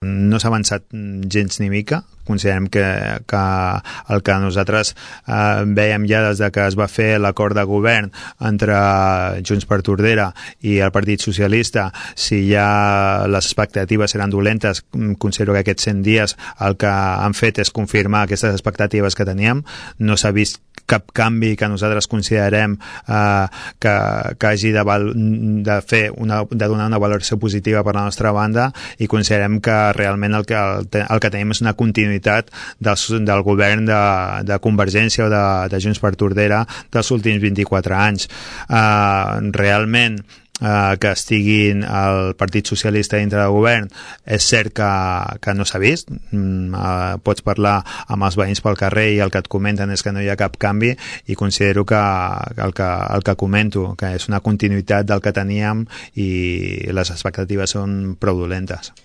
No s'ha avançat gens ni mica. Considerem que el que nosaltres veiem ja des que es va fer l'acord de govern entre Junts per Tordera i el Partit Socialista, si ja les expectatives eren dolentes, considero que aquests 100 dies el que han fet és confirmar aquestes expectatives que teníem. No s'ha vist cap canvi que nosaltres considerem que hagi de donar una valoració positiva per la nostra banda, i considerem que realment el que tenim és una continuïtat del govern de Convergència o de Junts per Tordera dels últims 24 anys. Realment que estiguin el Partit Socialista dintre del govern és cert que no s'ha vist. Pots parlar amb els veïns pel carrer i el que et comenten és que no hi ha cap canvi, i considero que el que comento, que és una continuïtat del que teníem, i les expectatives són prou dolentes.